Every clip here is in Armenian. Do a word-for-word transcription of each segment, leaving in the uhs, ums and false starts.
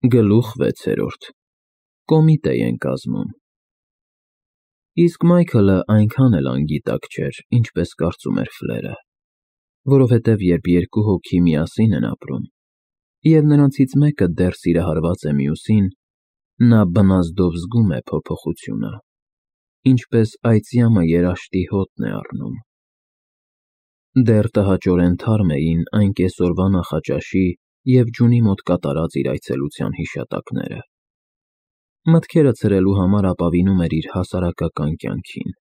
Գլուխ վեցերորդ Կոմիտե են կազմում Իսկ Մայքլը այնքան էլ անգիտակ չէր, ինչպես կարծում էր Ֆլերը, որովհետև երբ երկու հոգի միասին են ապրում, և նրանցից մեկը դեռ սիրահարված է մյուսին, նա բնազդով զգում է փոփոխությունը, ինչպես այծյամը երաշտի հոտն է առնում։ Դեռ տհաճորեն թարմ էին այն կեսօրվա նախաճաշի և ջունի մոտ կատարած իր այցելության հիշատակները։ Մտքերը ցրելու համար ապավինում էր իր հասարակական կյանքին,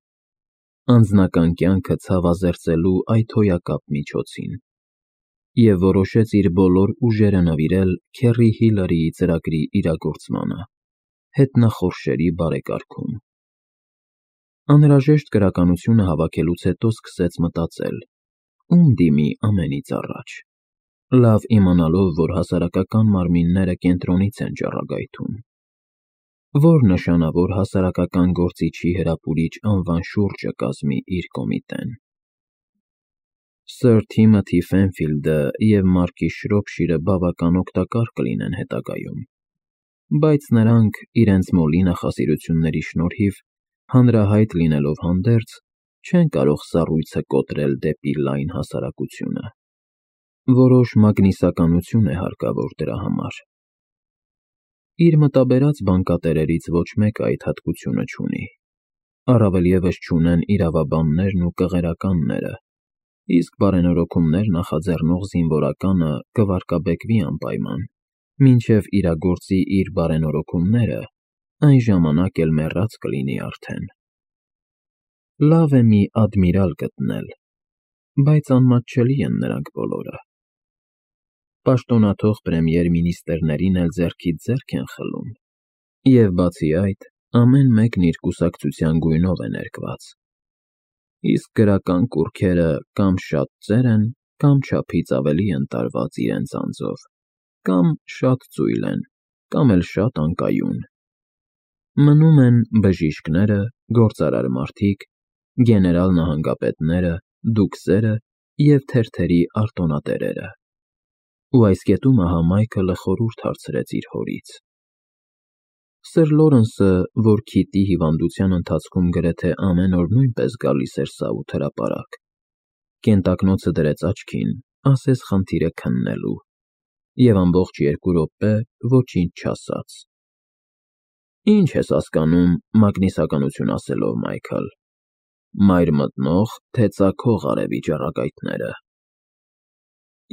անձնական կյանքը ցավազերծելու այդ հոյակապ միջոցին, և որոշեց իր բոլոր ուժերը նվիրել Քեռի Հիլարիի ծրագրի իրագործմանը, հետնախորշերի բարեկարգում։ Անհրաժեշտ գրականությունը հավաքելուց հետո սկսեց մտածել. ում դիմի ամենից առաջ, լավ իմանալով, որ հասարակական մարմինները կենտրոնից են ճառագայթում, որ նշանավոր հասարակական գործիչի հրապուրիչ անվան շուրջը կազմի իր կոմիտեն։ Սըր Թիմոթի Ֆենֆիլդը և Մարկի Շրոփշիրը բավական օգտակար կլինեն հետագայում, բայց նրանք, իրենց մոլի նախասիրությունների շնորհիվ, հանրահայտ լինելով հանդերձ, չեն կարող սառույցը կոտրել դեպի լայն հասարակությունը։ Որոշ մագնիսականություն է հարկավոր դրա համար։ Իր մտաբերած բանկատերերից ոչ մեկը այդ հատկությունը չունի, առավել ևս չունեն իրավաբաններն ու կղերականները, իսկ բարենորոգումներ նախաձեռնող զինվորականը կվարկաբեկվի անպայման, մինչև իրագործի իր բարենորոգումները, այն ժամանակ էլ մեռած կլինի արդեն։ Լավ է մի ադմիրալ գտնել, բայց անմատչելի են նրանք բոլորը։ Պաշտոնաթող պրեմիեր֊մինիստրերին էլ ձեռքից ձեռք են խլում, և բացի այդ, ամեն մեկն իր կուսակցության գույնով է ներկված, իսկ գրական կուռքերը կամ շատ ծեր են, կամ չափից ավելի են տարված իրենց անձով, կամ շատ ծույլ են, կամ էլ շատ անկայուն։ Մնում են բժիշկները, գործարար մարդիկ, գեներալ֊նահանգապետները, դուքսերը և թերթերի արտոնատերերը։ Ու այս կետում ահա Մայքլը խորհուրդ հարցրեց իր հորից. Սըր Լորենսը, որ Քիթի հիվանդության ընթացքում գրեթե ամեն օր նույնպես գալիս էր սաութ հրապարակ, կենտակնոցը դրեց աչքին, ասես խնդիրը քննելու, և ամբողջ երկու րոպե ոչինչ չասաց։ Ի՞նչ ես հասկանում մագնիսականություն ասելով, Մայքլ, մայր մտնող, թե ծագող արևի ճառագայթները։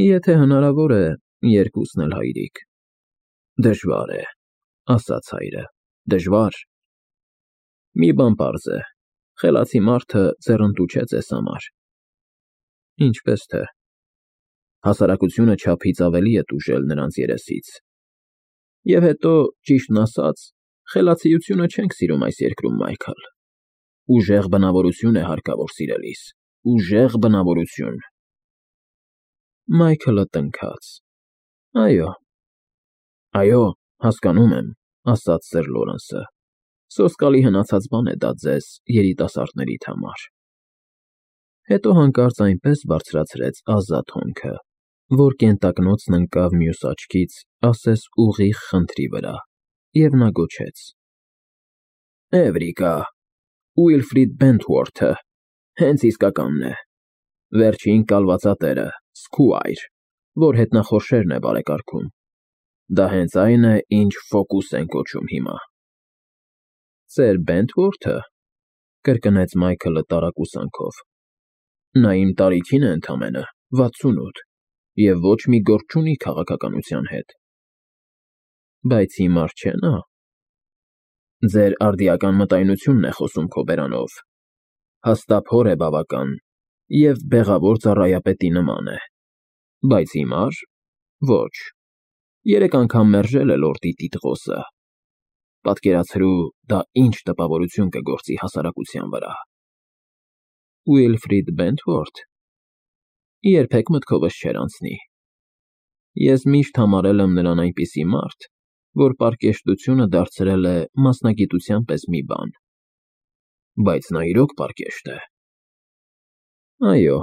Եթե հնարավոր է, երկուսն էլ, հայրիկ։ Դժվար է, ասաց հայրը, դժվար։ Մի բան պարզ է, խելացի մարդը ձեռնտու չէ ձեզ համար։ Ինչպես թե։ Հասարակությունը չափից ավելի է տուժել նրանց երեսից։ Եվ հետո, ճիշտն ասած, խելացիությունը չենք սիրում այս երկրում, Մայքլ։ Ուժեղ բնավորություն է հարկավոր սիրելիս, ուժեղ բնավորություն։ Մայքլը տնքաց. Այո։ Այո, հասկանում եմ, ասաց սըր Լորենսը, սոսկալի հնացած բան է դա ձեզ, երիտասարդներիդ համար։ Հետո հանկարծ այնպես բարձրացրեց ազատ հոնքը, որ կենտակնոցն ընկավ մյուս աչքից, ասես ուղիղ խնդրի վրա, և նա գոչեց. Էվրիկա, Ուիլֆրիդ Բենթվորթը, հենց իսկականն է, վերջին կալվածատերը, Սքուայր, որ հետնախորշերն է բարեկարգում։ Դա հենց այն է, ինչ Ֆոկուս են կոչում հիմա։ Ծեր Բենթվորթը, կրկնեց Մայքլը տարակուսանքով։ Նա իմ տարիքին է ընդամենը, վաթսունութ, և ոչ մի գործ չունի քաղաքականության հետ։ Բայց հիմար չէ նա։ Ձեր արդիական մտայնությունն է խոսում քո բերանով։ Հաստափոր է բավական և բեղավոր ծառայապետի նման է, բայց հիմար՝ ոչ, երեք անգամ մերժել է լորդի տիտղոսը։ Պատկերացրու, դա ինչ տպավորություն կգործի հասարակության վրա։ Ուիլֆրիդ Բենթվորթ։ Երբեք մտքովս չէր անցնի։ Ես միշտ համարել եմ նրան այնպիսի մարդ, որ պարկեշտությունը դարձրել է մասնագիտության պես մի բան։ Բայց նա իրոք պարկեշտ է։ Այո,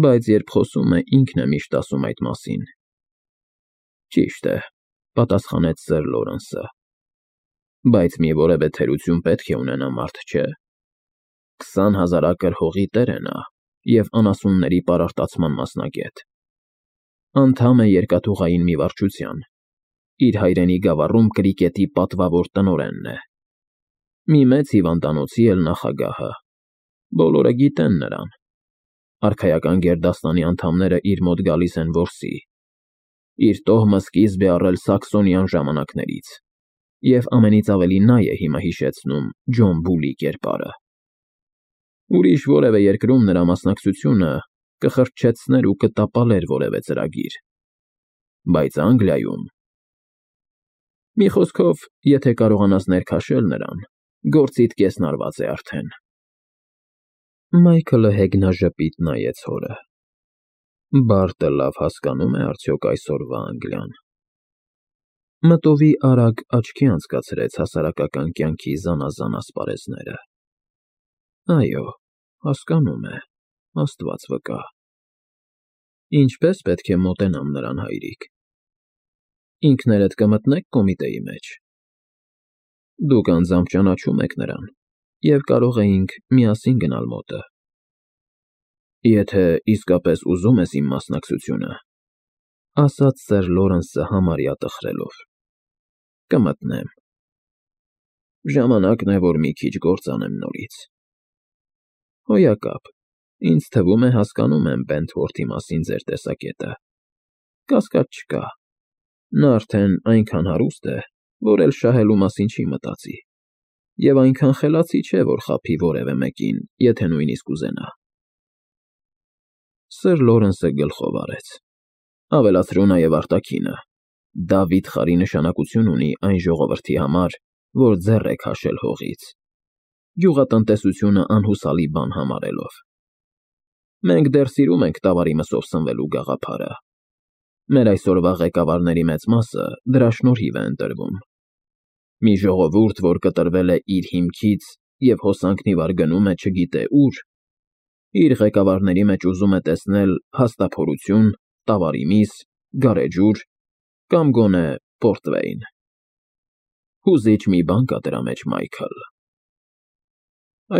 բայց երբ խոսում է, ինքն է միշտ ասում այդ մասին։ Ճիշտ է, պատասխանեց սըր Լորենսը։ Բայց մի որևէ թերություն պետք է ունենա, մարդ չէ։ Քսան հազար ակր հողի տեր է նա և անասունների պարարտացման մասնագետ։ Անդամ է երկաթուղային մի վարչության, իր հայրենի գավառում կրիկետի պատվավոր տնօրենն է։ Մի մեծ հիվանդանոցի էլ նախագահը, բոլորը գիտեն նրան, արքայական գերդաստանի անդամները իր մոտ գալիս են որսի, իր տոհմը սկիզբ է առել սաքսոնյան ժամանակներից, և ամենից ավելի նա է հիմա հիշեցնում Ջոն Բուլի կերպարը։ Ուրիշ որևէ երկրում նրա մասնակցությունը կխրճեցներ ու կտապալեր որևէ ծրագիր, բայց Անգլիայում… Մի խոսքով, եթե կարողանաս ներքաշել նրան, գործիդ կեսն արված է արդեն։ Մայքլը հեգնաժպիտ նայեց հորը։ Բարտը լավ հասկանո՞ւմ է արդյոք այսօրվա Անգլիան։ Մտովի արագ աչքի անցկացրեց հասարակական կյանքի զանազան ասպարեզները։ Այո, հասկանում է, Աստված վկա։ Ինչպե՞ս պետք է մոտենամ նրան, հայրիկ։ Ինքներդ կմտնե՞ք կոմիտեի մեջ։ Դուք անձամբ ճանաչում եք նրան, և կարող էինք միասին գնալ մոտը։ Եթե իսկապես ուզում ես իմ մասնակցությունը, ասաց սըր Լորենսը համարյա տխրելով, կմտնեմ։ Ժամանակն է, որ մի քիչ գործ անեմ նորից։ Հոյակապ, ինձ թվում է հասկանում եմ Բենթվորթի մասին ձեր տեսակետը։ Կասկած չկա, նա արդեն այնքան հարուստ է, որ էլ շահելու մասին չի մտածի, և այնքան խելացի չէ, որ խաբի որևէ մեկին, եթե նույնիսկ ուզենա։ Սըր Լորենսը գլխով արեց։ Ավելացրու նաև արտաքինը. դա վիթխարի նշանակություն ունի այն ժողովրդի համար, որ ձեռ է քաշել հողից, գյուղատնտեսությունը անհուսալի բան համարելով։ Մենք դեռ սիրում ենք տավարի մսով սնվելու գաղափարը։ Մեր այսօրվա ղեկավարների մեծ մասը դրա շնորհիվ է ընտրվում։ Մի ժողովուրդ, որ կտրվել է իր հիմքից և հոսանքնիվար գնում է չգիտե ուր, իր ղեկավարների մեջ ուզում է տեսնել հաստափորություն, տավարի միս, գարեջուր կամ գոնե պորտվեյն։ Հուզիչ մի բան կա դրա մեջ, Մայքլ։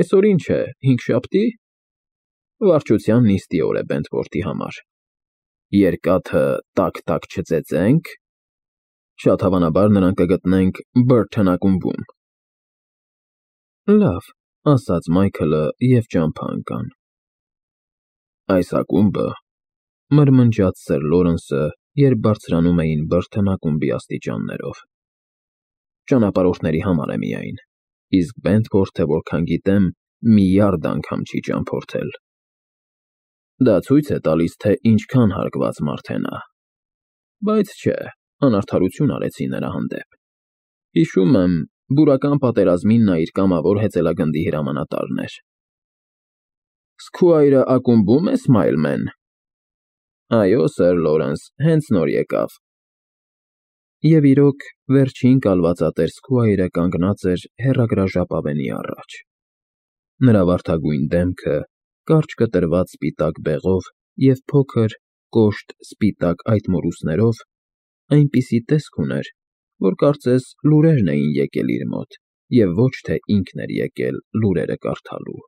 Այսօր ինչ է, հինգշաբթի՞։ Վարչության նիստի օր է Բենթվորթի համար։ Երկաթը տաք֊տաք չծեծե՞նք։ Շատ հավանաբար նրան կգտնենք Բըրթոն ակումբում։ Լավ, ասաց Մայքլը և ճամփա ընկան։ Այս ակումբը, մրմնջաց սըր Լորենսը, երբ բարձրանում էին Բըրթոն ակումբի աստիճաններով, ճանապարհորդների համար է միայն, իսկ Բենթվորթը, որքան գիտեմ, միլիարդ անգամ չի ճամփորդել։ Դա ցույց է տալիս, թե ինչքան հարգված մարդ է նա։ Բայց չէ, անարդարություն արեցի նրա հանդեպ։ Հիշում եմ, բուրական պատերազմին նա իր կամավոր հեծելագնդի հրամանատարն էր։ Սքուայրը ակումբում է, Սմայլմեն։ Այո, սըր Լորենս, հենց նոր եկավ։ Եվ իրոք, վերջին կալվածատեր Սքուայրը կանգնած էր հեռագրաժապավենի առաջ։ Նրա վարդագույն դեմքը, կարճ կտրված սպիտակ բեղով և փոքր, կոշտ սպիտակ այտմորուսներով այնպիսի տեսք ուներ, որ կարծես լուրերն էին եկել իր մոտ, և ոչ թե ինքն էր եկել լուրերը կարդալու։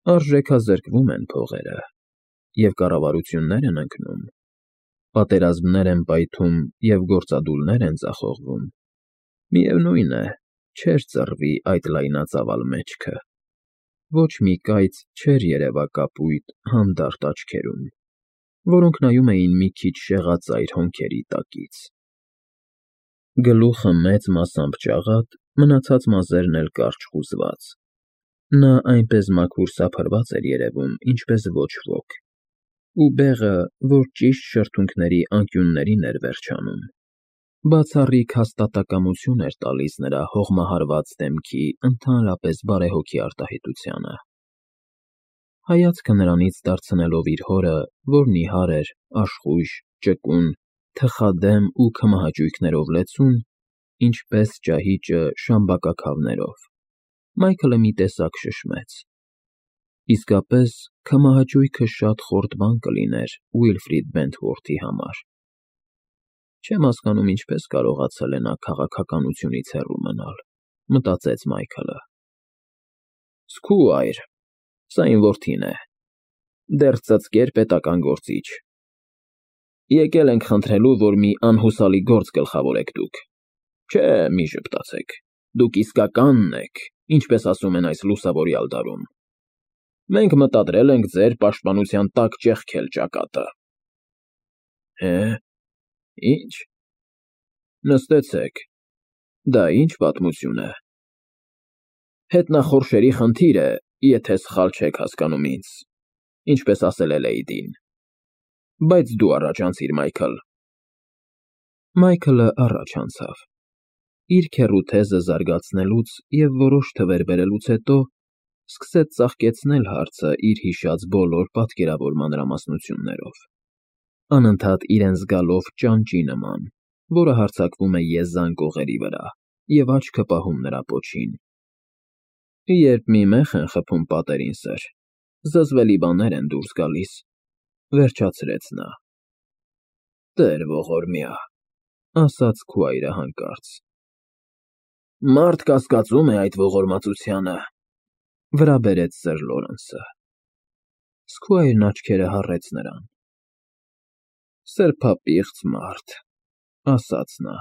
Արժեքազրկվում են փողերը, և կառավարություններ են ընկնում, պատերազմներ են պայթում և գործադուլներ են ձախողվում, միևնույն է, չէր ծռվի այդ լայնածավալ մեջքը, ոչ մի կայծ չէր երևա կապույտ, հանդարտ աչքերում, որոնք նայում էին մի քիչ շեղածայր հոնքերի տակից։ Գլուխը մեծ մասամբ ճաղատ, մնացած մազերն էլ կարճ խուզված։ Նա այնպես մաքուր սափրված էր երևում, ինչպես ոչ ոք, ու բեղը, որ ճիշտ շրթունքների անկյուններին էր վերջանում, բացառիկ հաստատակամություն էր տալիս նրա հողմահարված դեմքի ընդհանրապես բարեհոգի արտահայտությանը։ Հայացքը նրանից դարձնելով իր հորը, որ նիհար էր, աշխույժ, ճկուն, թխադեմ ու քմահաճույքներով լեցուն, ինչպես ճահիճը շամբակաքավներով, Մայքլը մի տեսակ շշմեց։ Իսկապես, քմահաճույքը շատ խորտ բան կլիներ Ուիլֆրիդ Բենթվորթի համար։ Չեմ հասկանում ինչպես կարողացել է նա քաղաքականությունից հեռու մնալ, մտածեց Մայքլը։ Սքուայր, սա իմ որդին է, դեռ ծծկեր պետական գործիչ։ Եկել ենք խնդրելու, որ մի անհուսալի գործ գլխավորեք դուք։ Չէ, մի ժպտացեք, դուք իսկականն եք, ինչպես ասում են այս լուսավորյալ դարում։ Մենք մտադրել ենք ձեր պաշտպանության տակ ճեղքել ճակատը։ Հե՞, ինչ։ Նստեցեք, դա ինչ պատմություն է։ Հետնախորշերի խնդիր է, եթե սխալ չեք հասկանում ինձ, ինչպես ասել է Լեյդին։ Բայց դու առաջանցիր, Մայքլ։ Մայքլը առաջ անցավ։ Իր քեռու թեզը զարգացնելուց և որոշ թվեր բերելուց հետո սկսեց ծաղկեցնել հարցը իր հիշած բոլոր պատկերավոր մանրամասնություններով, անընդհատ իրեն զգալով ճանճի նման, որը հարձակվում է եզան կողերի վրա և աչքը պահում նրա պոչին։ Երբ մի մեղ են խփում պատերին, սըր, զզվելի բաներ են դուրս գալիս, վերջացրեց նա։ Տեր ողորմյա, ասաց քույրը հանկարծ։ Մարդ կասկածում է այդ ողորմածությանը, վրա բերեց սըր Լորենսը։ Սքուայրն աչքերը հառեց նրան։ Սրբապիղծ մարդ, ասաց նա։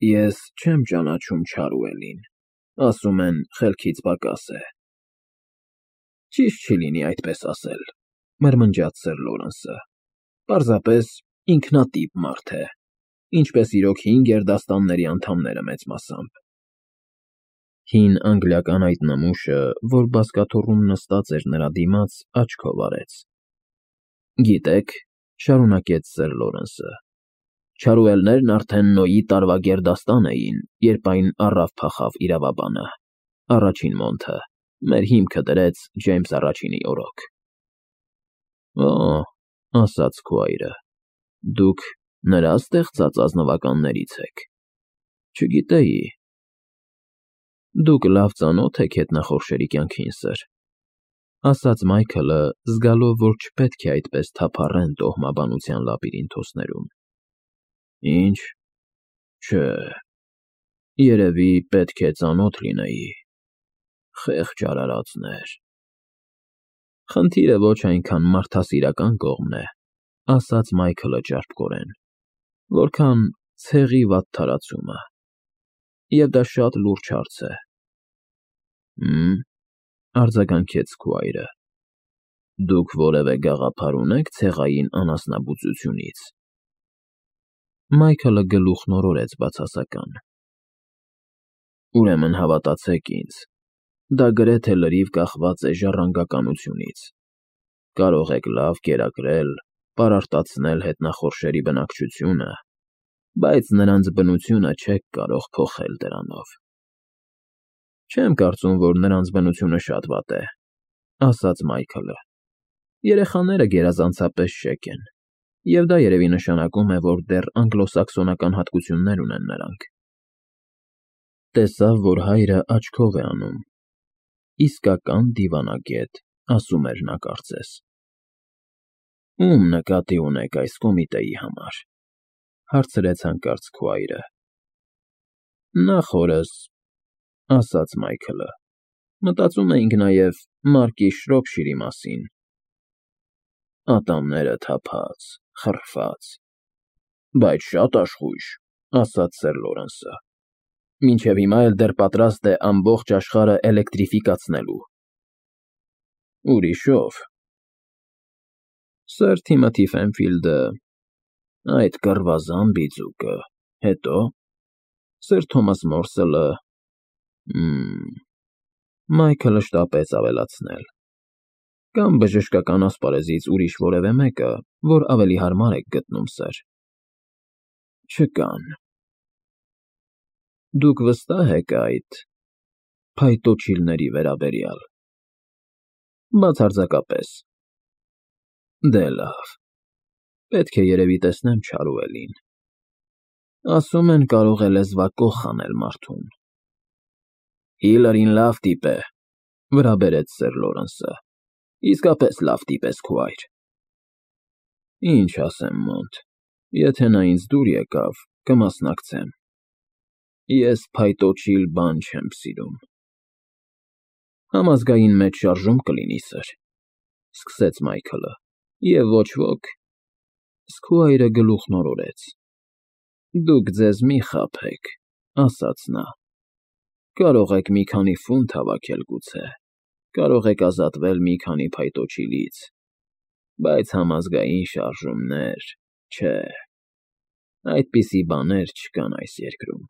Ես չեմ ճանաչում Չարուելին, ասում են խելքից պակաս է։ Ճիշտ չի լինի այդպես ասել, մրմնջաց սըր Լորենսը։ Պարզապես ինքնատիպ մարդ է, ինչպես իրոք հին գերդաստանների անդամները մեծ մասամբ։ Հին անգլիական այդ նմուշը, որ բազկաթոռում նստած էր նրա դիմաց, աչքով արեց։ Գիտեք, շարունակեց սըր Լորենսը, Չարուելներն արդեն Նոյի տարվա գերդաստան էին, երբ այն առավ փախավ իրավաբանը, առաջին մոնթը, մեր հիմքը դրեց Ջեյմս առաջինի օրոք։ Օ, ասաց քույրը, դուք նրա ստեղծած ազնվականներից եք։ Չգիտեի։ Դուք լավ ծանոթ եք հետնախորշերի կյանքին, սըր, ասաց Մայքլը, զգալով, որ չպետք է այդպես թափառեն տոհմաբանության լաբիրինթոսներում։ Ինչ, չէ, երևի պետք է ծանոթ լինեի, խեղճ արարածներ։ Խնդիրը ոչ այնքան մարդասիրական կողմն է, ասաց Մայքլը ճարպկորեն, որքան ցեղի վատթարացումը, և դա շատ լուրջ հարց է։ Հմ, արձագանքեց քույրը, դուք որևէ գաղափար ունեք ցեղային անասնաբուծությունից։ Մայքլը գլուխն օրորեց բացասական։ Ուրեմն հավատացեք ինձ, դա գրեթե լրիվ կախված է ժառանգականությունից։ Կարող եք լավ կերակրել, պարարտացնել հետնախորշերի բնակչությունը, բայց նրանց բնությունը չեք կարող փոխել դրանով։ Չեմ կարծում, որ նրանց բնությունը շատ վատ է, ասաց Մայքլը։ Երեխաները գերազանցապես շեկ են, և դա երևի նշանակում է, որ դեռ անգլոսաքսոնական հատկություններ ունեն նրանք։ Տեսավ, որ հայրը աչքով է անում։ Իսկական դիվանագետ, ասում էր նա կարծես։ Ում նկատի ունեք այս կոմիտեի համար, հարցրեց հանկարծ քույրը։ Նախորս, ասաց Մայքլը, մտածում էինք նաև Մարկի Շրոփշիրի մասին։ Ատամները թափած, խռված, բայց շատ աշխույժ, ասաց սըր Լորենսը։ Մինչև հիմա էլ դեռ պատրաստ է ամբողջ աշխարհը էլեկտրիֆիկացնելու։ Ուրիշով։ Սըր Թիմոթի Ֆենֆիլդը, այդ կռվազան բիծուկը, հետո սըր Թոմաս Մորսելը, հմ, Մայքլը շտապեց ավելացնել։ Կամ բժշկական ասպարեզից ուրիշ որևէ մեկը, որ ավելի հարմար եք գտնում, սըր։ Չկան։ Դուք վստահ եք այդ փայտոջիլների վերաբերյալ։ Բացարձակապես։ Դե լավ, պետք է երևի տեսնեմ Չարուելին։ Ասում են կարող է լեզվակոխ խանել մարդուն։ Հիլարին լավ տիպ է, վրա բերեց սըր Լորենսը, իսկապես լավ տիպ ես, քույր։ Ինչ ասեմ, Մոնտ, Եթե նա ինձ դուր եկավ, կմասնակցեմ։ Ես փայտոջիլ բան չեմ սիրում։ Համազգային մեծ շարժում կլինի, սըր, ֊ սկսեց Մայքլը, և ոչ ոք… Իսկ քո հայրը գլուխն օրորեց։ Դուք ձեզ մի խաբեք, ֊ ասաց նա։ Կարող եք մի քանի ֆունտ հավաքել գուցե, կարող եք ազատվել մի քանի փայտոջիլից, բայց համազգային շարժումներ… Չէ, այդպիսի բաներ չկան այս երկրում։